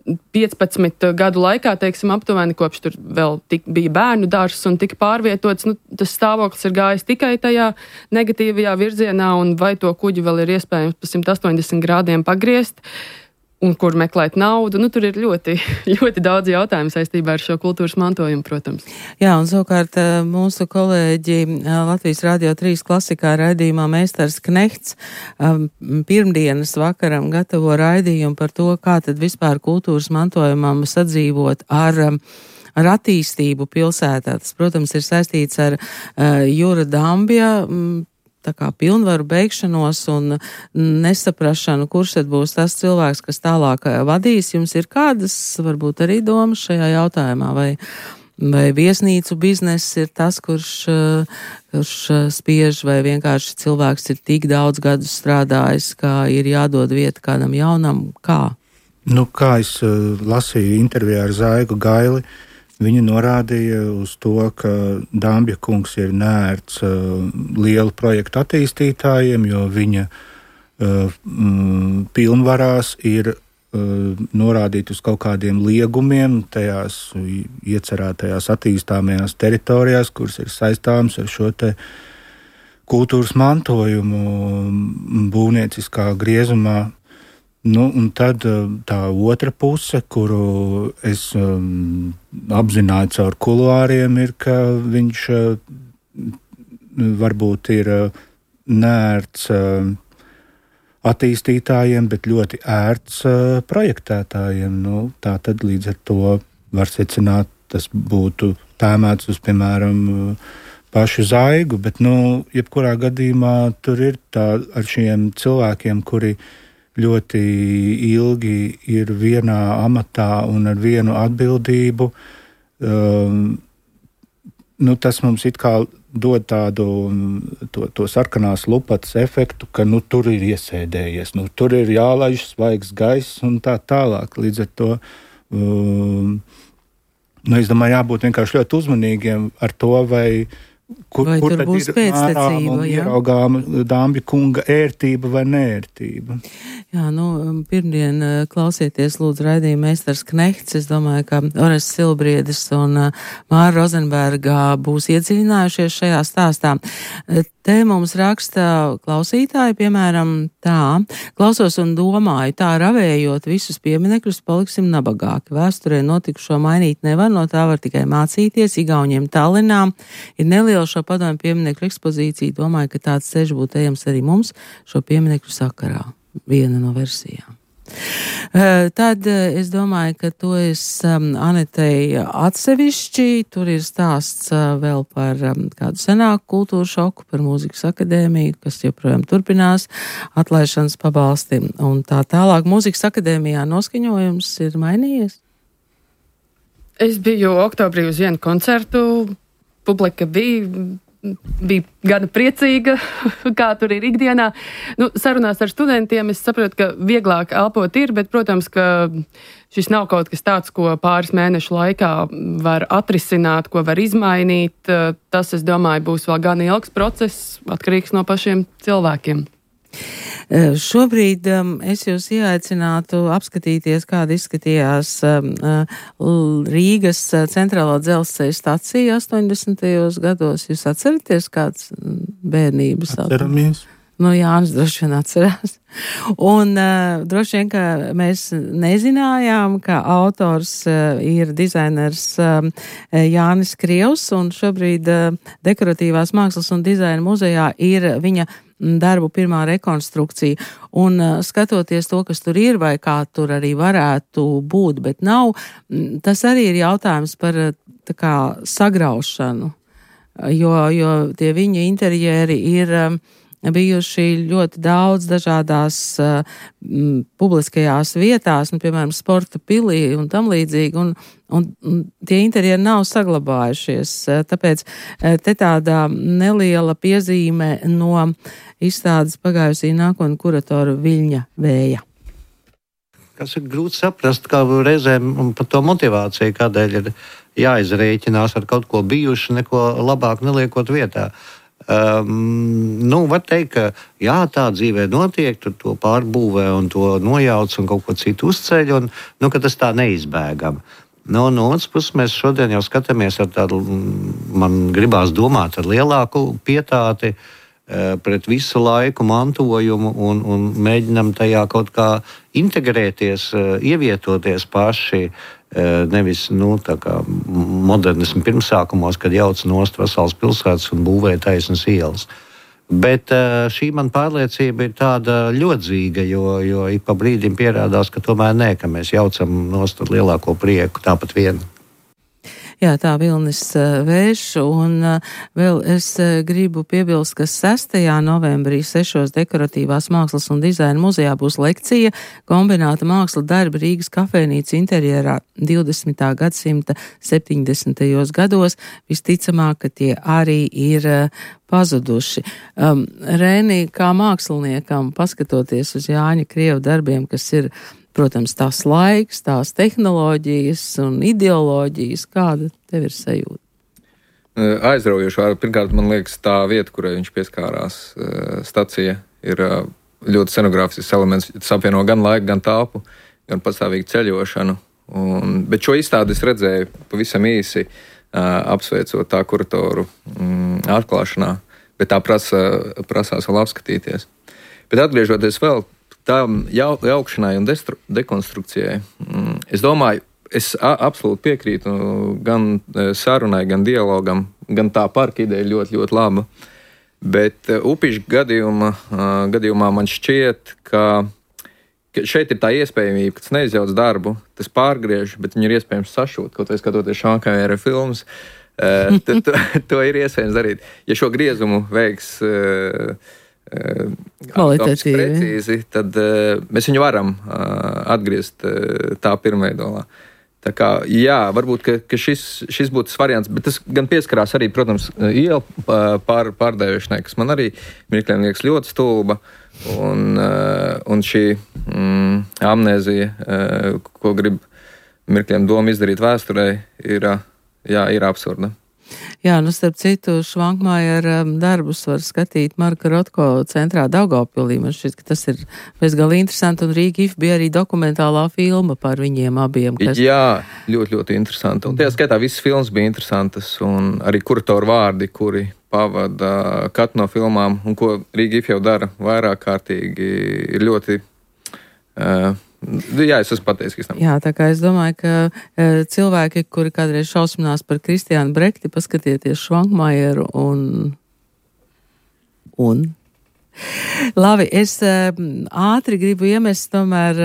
15 gadu laikā, teiksim, aptuveni, kopš tur vēl bija bērnu dārzs un tika pārvietots, tas stāvoklis ir gājis tikai tajā negatīvajā virzienā, un vai to kuģi vēl ir iespējams pa 180 grādiem pagriezt, un kur meklēt naudu. Tur ir ļoti, ļoti daudz jautājumu saistībā ar šo kultūras mantojumu, protams. Jā, un savukārt mūsu kolēģi Latvijas Radio 3 klasikā raidījumā Meistars Knehts pirmdienas vakaram gatavo raidījumu par to, kā tad vispār kultūras mantojumam sadzīvot ar attīstību pilsētā. Tas, protams, ir saistīts ar Jura Dambja tā kā pilnvaru beigšanos un nesaprašanu, kurš tad būs tas cilvēks, kas tālāk vadīs. Jums ir kādas, varbūt arī domas šajā jautājumā, vai viesnīcu bizness ir tas, kurš spiež, vai vienkārši cilvēks ir tik daudz gadus strādājis, kā ir jādod vieta kādam jaunam, kā? Kā es lasīju intervijā ar Zaigu Gaili, viņa norādīja uz to, ka Dambja kungs ir neērts lielu projektu attīstītājiem, jo viņa pilnvarās ir norādīt uz kaut kādiem liegumiem tajās iecerētajās attīstāmajās teritorijās, kuras ir saistāmas ar šo te kultūras mantojumu būvnieciskā griezumā. Un tad tā otra puse, kuru es apzināju caur kuluāriem, ir, ka viņš varbūt ir neērts attīstītājiem, bet ļoti ērts projektētājiem. Tā tad līdz ar to var secināt, tas būtu tēmēts uz, piemēram, pašu Zaigu, bet, jebkurā gadījumā tur ir tā ar šiem cilvēkiem, kuri ļoti ilgi ir vienā amatā un ar vienu atbildību. Tas mums it kā dod tādu to sarkanās lupatas efektu, ka tur ir iesēdējies, tur ir jālaiž svaigs gaiss un tā tālāk. Līdz ar to es domāju, jābūt vienkārši ļoti uzmanīgiem ar to, kur tad būs ir pēctecība, ieraugām Dambja kunga ērtība vai neērtība. Jā, pirmdien klausieties lūdzu raidījumu Meistars Knehts. Es domāju, ka Orests Silbriedis un Māra Rozenberga būs iedziļinājušies šajā stāstā. Te mums raksta klausītāji, piemēram, tā: klausos un domāju, tā ravējot visus pieminekļus, paliksim nabagāki. Vēsturē notikušo mainīt nevar, no tā var tikai mācīties. Igauņiem Tallinā ir neliela šo padomju pieminekļu ekspozīcija. Domāju, ka tāds ceļš būtu ejams arī mums šo pieminekļu sakarā. Viena no versijām. Tad es domāju, ka to es Anetei atsevišķi, tur ir stāsts vēl par kādu senāku kultūru šoku, par Mūzikas akadēmiju, kas joprojām turpinās, atlaišanas pabalsti un tā tālāk. Mūzikas akadēmijā noskaņojums ir mainījies? Es biju oktobrī uz vienu koncertu, publika bija bija gana priecīga, kā tur ir ikdienā. Sarunās ar studentiem es saprotu, ka vieglāk elpot ir, bet, protams, ka šis nav kaut kas tāds, ko pāris mēnešu laikā var atrisināt, ko var izmainīt. Tas, es domāju, būs vēl gan ilgs process, atkarīgs no pašiem cilvēkiem. Šobrīd es jūs ieaicinātu apskatīties, kāda izskatījās Rīgas centrālā dzelzceļa stacija 80. gados. Jūs atceraties kāds bērnības? Atceramies. Jānis droši vien atcerās. Un droši vien, ka mēs nezinājām, ka autors ir dizainers Jānis Krievs, un šobrīd Dekoratīvās mākslas un dizaina muzejā ir viņa darbu pirmā rekonstrukcija. Un skatoties to, kas tur ir, vai kā tur arī varētu būt, bet nav, tas arī ir jautājums par tā kā sagraušanu, jo tie viņa interjeri ir bijuši ļoti daudz dažādās publiskajās vietās, piemēram, sporta pilī un tam līdzīgi, un tie interjeri nav saglabājušies. Tāpēc te tāda neliela piezīme no izstādes pagājusī nākotnē kuratora Viļņa Vēja. Kas ir grūti saprast, kā reizēm par to motivāciju, kādēļ ir jāizrēķinās ar kaut ko bijuši, neko labāk neliekot vietā. Var teikt, ka jā, tā dzīvē notiek, tur to pārbūvē un to nojauc un kaut ko citu uzceļ, un ka tas tā neizbēgam. No otras puses mēs šodien jau skatāmies ar tādu, man gribās domāt, ar lielāku pietāti pret visu laiku mantojumu un mēģinam tajā kaut kā integrēties, ievietoties paši. Nevis tā kā modernismu pirmsākumos, kad jauc nost vesels pilsētas un būvē taisnas ielas. Bet šī man pārliecība ir tāda ļodzīga, jo ik pa brīdim pierādās, ka tomēr nē, ka mēs jaucam nost ar lielāko prieku tāpat vien. Jā, tā Vilnis Vējš, un vēl es gribu piebilst, ka 6. novembrī 6. Dekoratīvās mākslas un dizaina muzejā būs lekcija kombināta māksla darba Rīgas kafejnīca interjerā 20. gadsimta 70. gados. Visticamāk, ka tie arī ir pazuduši. Rēnī, kā māksliniekam, paskatoties uz Jāņa Krieva darbiem, kas ir, protams, tās laiks, tās tehnoloģijas un ideoloģijas, kāda tev ir sajūta? Aizraujoši. Pirmkārt, man liekas, tā vieta, kurai viņš pieskārās, stacija, ir ļoti scenogrāfisks elements. Tas apvieno gan laiku, gan telpu, gan pastāvīgu ceļošanu. Bet šo izstādi es redzēju pavisam īsi, apsveicot tā kuratoru atklāšanā, bet tā prasās vēl apskatīties. Bet atgriežoties vēl tām jaukšanai un dekonstrukcijai, es domāju, es absolūti piekrītu gan sarunai, gan dialogam, gan tā parka ideja ļoti, ļoti laba. Bet Upiša gadījumā man šķiet, ka šeit ir tā iespējamība, ka tas neizjauc darbu, tas pārgriež, bet viņu ir iespējams sašūt, kaut vai skatoties Šankājera filmas. To ir iespējams darīt. Ja šo griezumu veiks precīzi, tad mēs viņu varam atgriezt tā pirmveidolā. Tā kā, jā, varbūt, ka šis būtu tas variants, bet tas gan pieskarās arī, protams, ielu pārdēvēšanai, kas man arī mirkļiem liekas ļoti stulba, un šī amnēzija, ko grib mirkļiem doma izdarīt vēsturē, ir absurda. Jā, starp citu, Švankmājera darbus var skatīt Marka Rotko centrā Daugavpilī. Man šķiet, ka tas ir bezgalīgi interesanti, un Rīga IF bija arī dokumentālā filma par viņiem abiem. Jā, ļoti, ļoti interesanti. Un tajā skaitā visas filmas bija interesantas, un arī kuratoru vārdi, kuri pavada katru no filmām, un ko Rīga IF jau dara vairāk kārtīgi, ir ļoti... Jā, es esmu pateicis. Jā, tā kā es domāju, ka cilvēki, kuri kādreiz šausminās par Kristiānu Brekti, paskatieties Švankmajeru un Labi, es ātri gribu iemest tomēr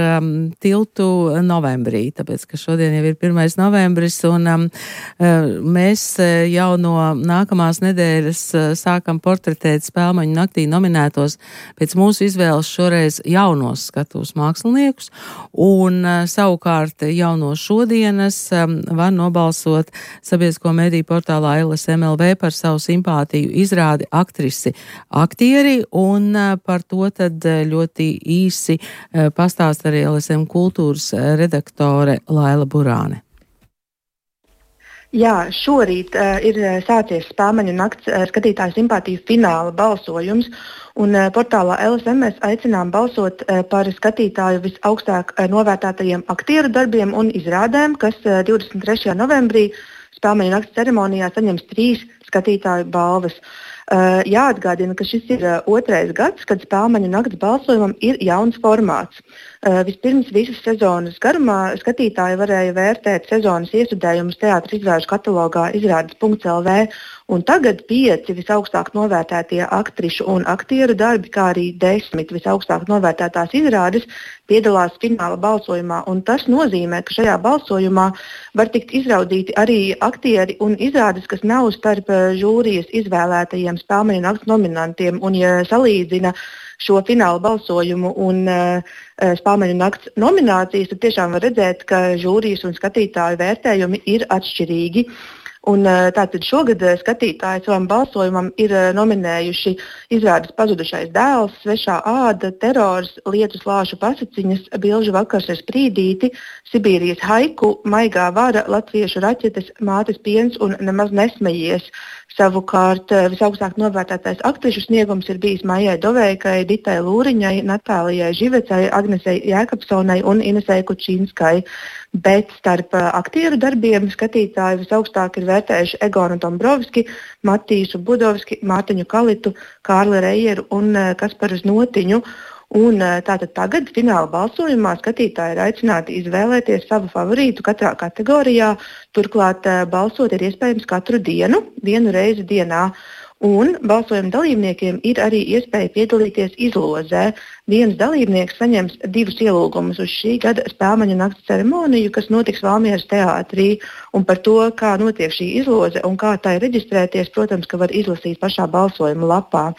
tiltu novembrī, tāpēc, ka šodien jau ir 1. novembris, un mēs jau no nākamās nedēļas sākam portretēt Spēlmaņu naktī nominētos pēc mūsu izvēles šoreiz jaunos skatuves māksliniekus, un savukārt jau no šodienas var nobalsot sabiedrisko mediju portālā LSMLV par savu simpātiju izrādi aktrisi aktieri, un par to tad ļoti īsi pastāst arī LSM kultūras redaktore Laila Burāne. Jā, šorīt ir sācies Spēlmaņu nakts skatītāju simpātiju fināla balsojums, un portālā LSM mēs aicinām balsot par skatītāju visaugstāk novērtētajiem aktieru darbiem un izrādēm, kas 23. novembrī Spēlmaņu nakts ceremonijā saņems 3 skatītāju balvas. Jāatgādina, ka šis ir 2. gads, kad Spēlmaņu nakts balsojumam ir jauns formāts. Vispirms visas sezonas garumā skatītāji varēja vērtēt sezonas iestudējumus teātra izrāžu katalogā izrādes.lv, un tagad 5 visaugstāk novērtētie aktrišu un aktieru darbi, kā arī 10 visaugstāk novērtētās izrādes piedalās fināla balsojumā, un tas nozīmē, ka šajā balsojumā var tikt izraudīti arī aktieri un izrādes, kas nav starp žūrijas izvēlētajiem Spēlmaņu nakts nominantiem, un ja salīdzina šo fināla balsojumu un Spēlmaņu nakts nominācijas, tad tiešām var redzēt, ka žūrijas un skatītāju vērtējumi ir atšķirīgi. Un tātad šogad skatītāji savam balsojumam ir nominējuši izrādes Pazudušais dēls, Svešā āda, Terors, Lietu slāšu pasaciņas, Bilžu vakars ar sprīdīti, Sibīrijas haiku, Maigā vara, Latviešu raķetes, Mātes piens un Nemaz nesmejies. Savukārt visaugstāk novērtētais aktrišu sniegums ir bijis Maijai Doveikai, Ditai Lūriņai, Natālijai Živecai, Agnesei Jēkabsonai un Inesei Kučīnskai. Bet starp aktieru darbiem skatītāji visaugstāk ir vērtējuši Egonu Dombrovski, Matīsu Budovski, Mārtiņu Kalitu, Kārli Reieru un Kasparu Znotiņu. Un tātad tagad fināla balsojumā skatītāji ir aicināti izvēlēties savu favorītu katrā kategorijā. Turklāt balsot ir iespējams katru dienu, 1 reizi dienā. Un balsojuma dalībniekiem ir arī iespēja piedalīties izlozē. Viens dalībnieks saņems 2 ielūgumus uz šī gada Spēlmaņu nakts ceremoniju, kas notiks Valmieras teātrī. Un par to, kā notiek šī izloze un kā tai reģistrēties, protams, ka var izlasīt pašā balsojuma lapā.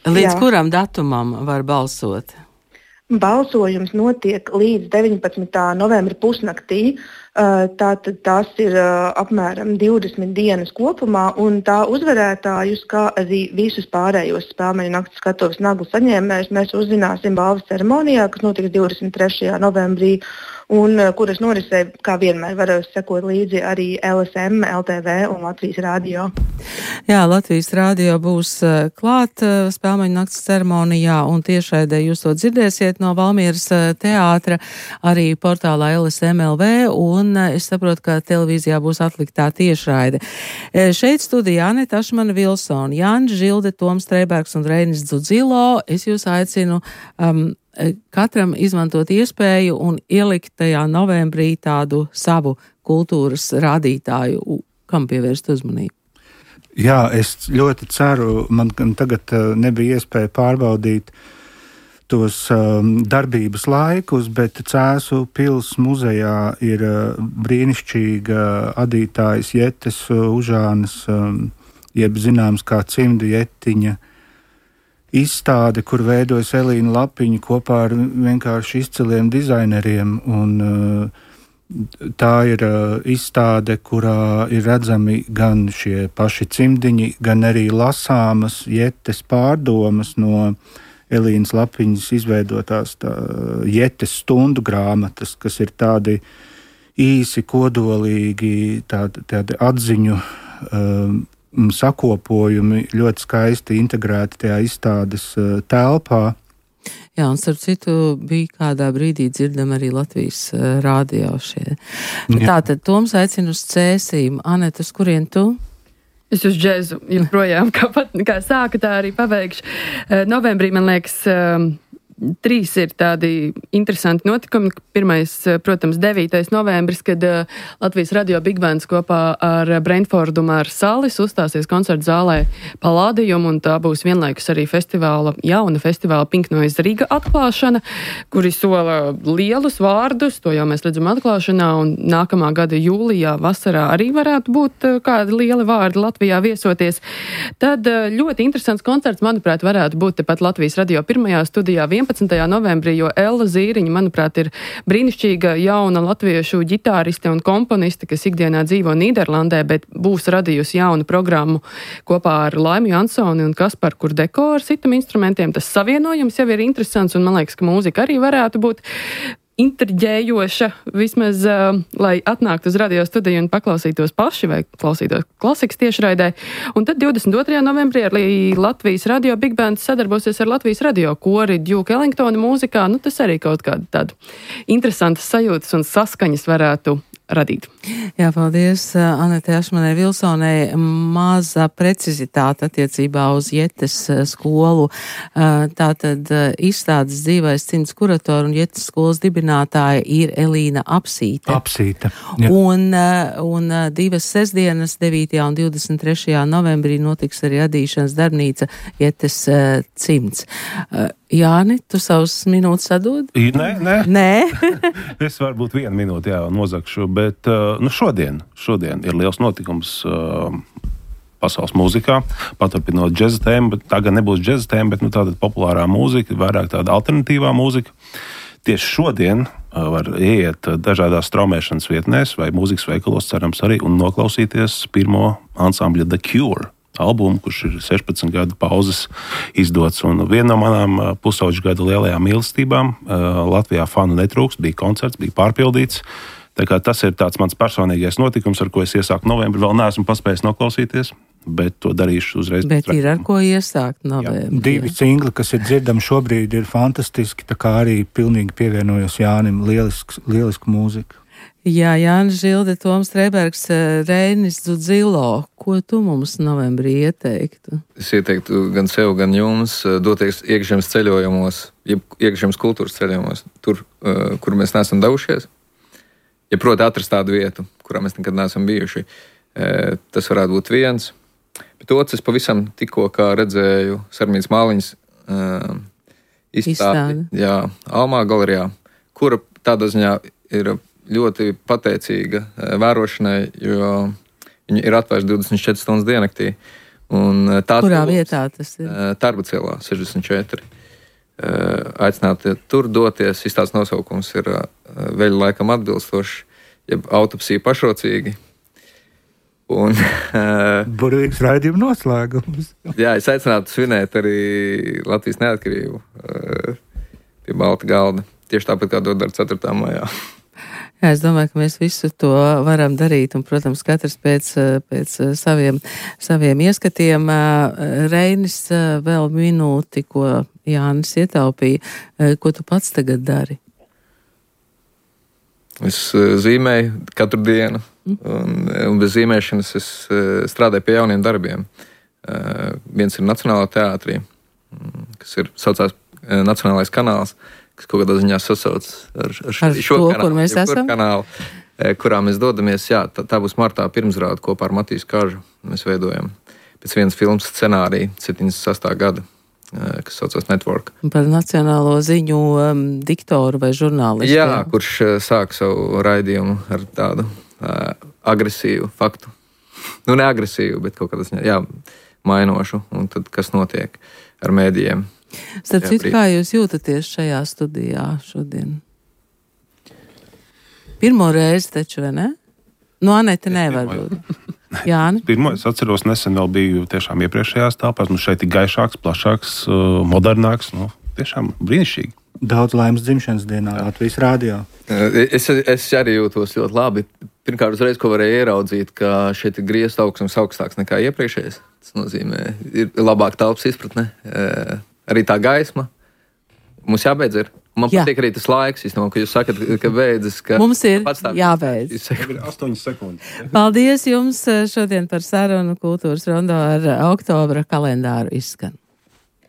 Līdz kuram datumam var balsot? Balsojums notiek līdz 19. novembra pusnaktī. Tātad tās ir apmēram 20 dienas kopumā, un tā uzvarētājus, kā arī visus pārējos Spēlmaņu nakts skatuves naglu saņēmējus, mēs uzzināsim balvas ceremonijā, kas notiks 23. novembrī, un kuras norisē, kā vienmēr, var sekot līdzi arī LSM, LTV un Latvijas Rādio. Jā, Latvijas Rādio būs klāt Spēlmaņu nakts ceremonijā, un tiešraidē jūs to dzirdēsiet no Valmieras teātra, arī portālā LSM.lv, un es saprotu, ka televīzijā būs atliktā tiešraide. Šeit studijā Aneta Ašmana Vilsona, Jānis Žilde, Toms Streibergs un Reinis Dzudzilo. Es jūs aicinu katram izmantot iespēju un ielikt tajā novembrī tādu savu kultūras rādītāju, kam pievērst uzmanību. Jā, es ļoti ceru, man tagad nebija iespēja pārbaudīt tos darbības laikus, bet Cēsu pils muzejā ir brīnišķīga adītājas Jetes Užānas, jeb zināms kā Cimda Jetiņa izstāde, kur veidojas Elīna Lapiņa kopā ar vienkārši izciliem dizaineriem. Un tā ir izstāde, kurā ir redzami gan šie paši cimdiņi, gan arī lasāmas Jetes pārdomas no Elīnas Lapiņas izveidotās Jetes stundu grāmatas, kas ir tādi īsi, kodolīgi, tādi atziņu sakopojumi, ļoti skaisti integrēti tajā izstādes telpā. Jā, un starp citu bija kādā brīdī dzirdam arī Latvijas rādio šie. Tātad Toms aicina uz Cēsīm. Aneta, uz kurien tu? Es uz džezu joprojām, kā sāka, tā arī pabeigšu. Novembrī, man liekas, Trīs ir tādi interesanti notikumi. Pirmais, protams, 9. novembris, kad Latvijas radio Big Bands kopā ar Brentfordu Māru Salis uzstāsies koncertu zālē Palādījum, un tā būs vienlaikus arī jauna festivāla Pink Noise Riga atklāšana, kuri sola lielus vārdus, to jau mēs redzam atklāšanā, un nākamā gada jūlijā vasarā arī varētu būt kādi lieli vārdi Latvijā viesoties. Tad ļoti interesants koncerts, manuprāt, varētu būt tepat Latvijas radio pirmajā studijā 11. novembrī, jo Ella Zīriņa, manuprāt, ir brīnišķīga jauna latviešu ģitāriste un komponiste, kas ikdienā dzīvo Nīderlandē, bet būs radījusi jaunu programmu kopā ar Laimu Jansoni un Kasparu Kurdeko ar citam instrumentiem. Tas savienojums jau ir interesants, un man liekas, ka mūzika arī varētu būt intriģējoša, vismaz, lai atnāktu uz radio studiju un paklausītos paši vai klausītos klasikas tiešraidē. Un tad 22. novembrī arī Latvijas radio Big Band sadarbosies ar Latvijas radio kori Duke Ellingtona mūzikā. Nu, tas arī kaut kāda tāda interesantas sajūtas un saskaņas varētu radīt. Jā, paldies Anetei Ašmanai Vilsonai. Maza precizitāte attiecībā uz Jetes skolu. Tātad izstādes dzīvais cimds kuratora un Jetes skolas dibinātāja ir Elīna Apsīte. Apsīte. Jā. Un divas sestdienas, 9. un 23. novembrī notiks arī adīšanas darbnīca Jetes cimds. Jāni, tu savus minūtes atdod? Nē. Es varbūt 1 minūti nozakšu, bet šodien ir liels notikums pasaules mūzikā, paturpinot džeza tēmu, bet tā gan nebūs džeza tēma, bet tāda populārā mūzika, vairāk tāda alternatīvā mūzika. Tieši šodien var ieiet dažādās straumēšanas vietnēs vai mūzikas veikalos, cerams arī, un noklausīties pirmo ansambļa The Cure albumu, kurš ir 16 gadu pauzes izdots. Un viena no manām pusauģu gada lielajām mīlestībām Latvijā fanu netrūkst, bija koncerts, bija pārpildīts. Tā kā tas ir tāds mans personīgais notikums, ar ko es iesāku novembrī. Vēl neesmu paspējis noklausīties, bet to darīšu uzreiz. Bet ir ar ko iesākt novembrī. 2 singli, kas ir dzirdami šobrīd, ir fantastiski, tā kā arī pilnīgi pievienojos Jānim, lielisku mūziku. Jā, Jānis Žilde, Toms Streibergs, Reinis Dzudzilo. Ko tu mums novembrī ieteiktu? Es ieteiktu gan sev, gan jums doties iekšzemes ceļojumos, iekšzemes kultūras ceļojumos, tur, kur mēs neesam devušies. Ja proti atrast tādu vietu, kurā mēs nekad neesam bijuši, tas varētu būt viens. Bet otrs, es pavisam tikko kā redzēju Sarmīnas Māliņas izstādi. Jā, Almā galerijā, kura tādā ziņā ir ļoti pateicīga vērošanai, jo viņi ir atvērti 24 stundas diennaktī. Kurā vietā tas ir? Tarbacēlā, 64. Aicināti tur doties. Izstādes nosaukums ir veļu laikam atbilstoši, jeb autopsija pašrocīgi. Burvīgs raidījuma noslēgums. Jā, es aicinātu svinēt arī Latvijas neatkarību pie balta galda. Tieši tāpat, kā to dara 4. maijā. Jā, es domāju, ka mēs visu to varam darīt, un, protams, katrs pēc saviem ieskatiem. Reinis, vēl minūti, ko Jānis ietaupīja. Ko tu pats tagad dari? Es zīmēju katru dienu, un bez zīmēšanas es strādāju pie jauniem darbiem. Viens ir Nacionālā teātrī, kas saucās Nacionālais kanāls, kas kaut kādā ziņā sasauc ar šo kanālu, kurā mēs dodamies. Jā, tā būs martā pirmsrāde kopā ar Matīs Kažu. Mēs veidojam pēc vienas filmas scenāriju 78. gada, kas saucās Network. Par nacionālo ziņu diktoru vai žurnālistu. Jā, kurš sāk savu raidījumu ar tādu agresīvu faktu. Nu, ne agresīvu, bet kaut kādā ziņā, mainošu. Un tad, kas notiek ar mēdījiem. Starp citu, kā jūs jūtaties šajā studijā šodien? Pirmo reizi taču, vai ne? Anete nevar būt. Jāni? Pirmo, es atceros, nesen vēl biju tiešām iepriekšējās telpās. Šeit ir gaišāks, plašāks, modernāks. Tiešām brīnišķīgi. Daudz laimes dzimšanas dienā Latvijas radio. Es arī jūtos ļoti labi. Pirmkārt, uzreiz, ko varēju ieraudzīt, ka šeit ir griezta augstums augstāks nekā iepriekšējais. Tas nozīmē, ir labāk telpas izpratne. Arī tā gaisma. Mums jābeidz ir. Man patīk arī tas laiks, ka jūs sakat, ka beidzas. Mums ir jābeidz. 8 sekundes. Paldies jums šodien par sarunu Kultūras rondo ar oktobra kalendāru izskan.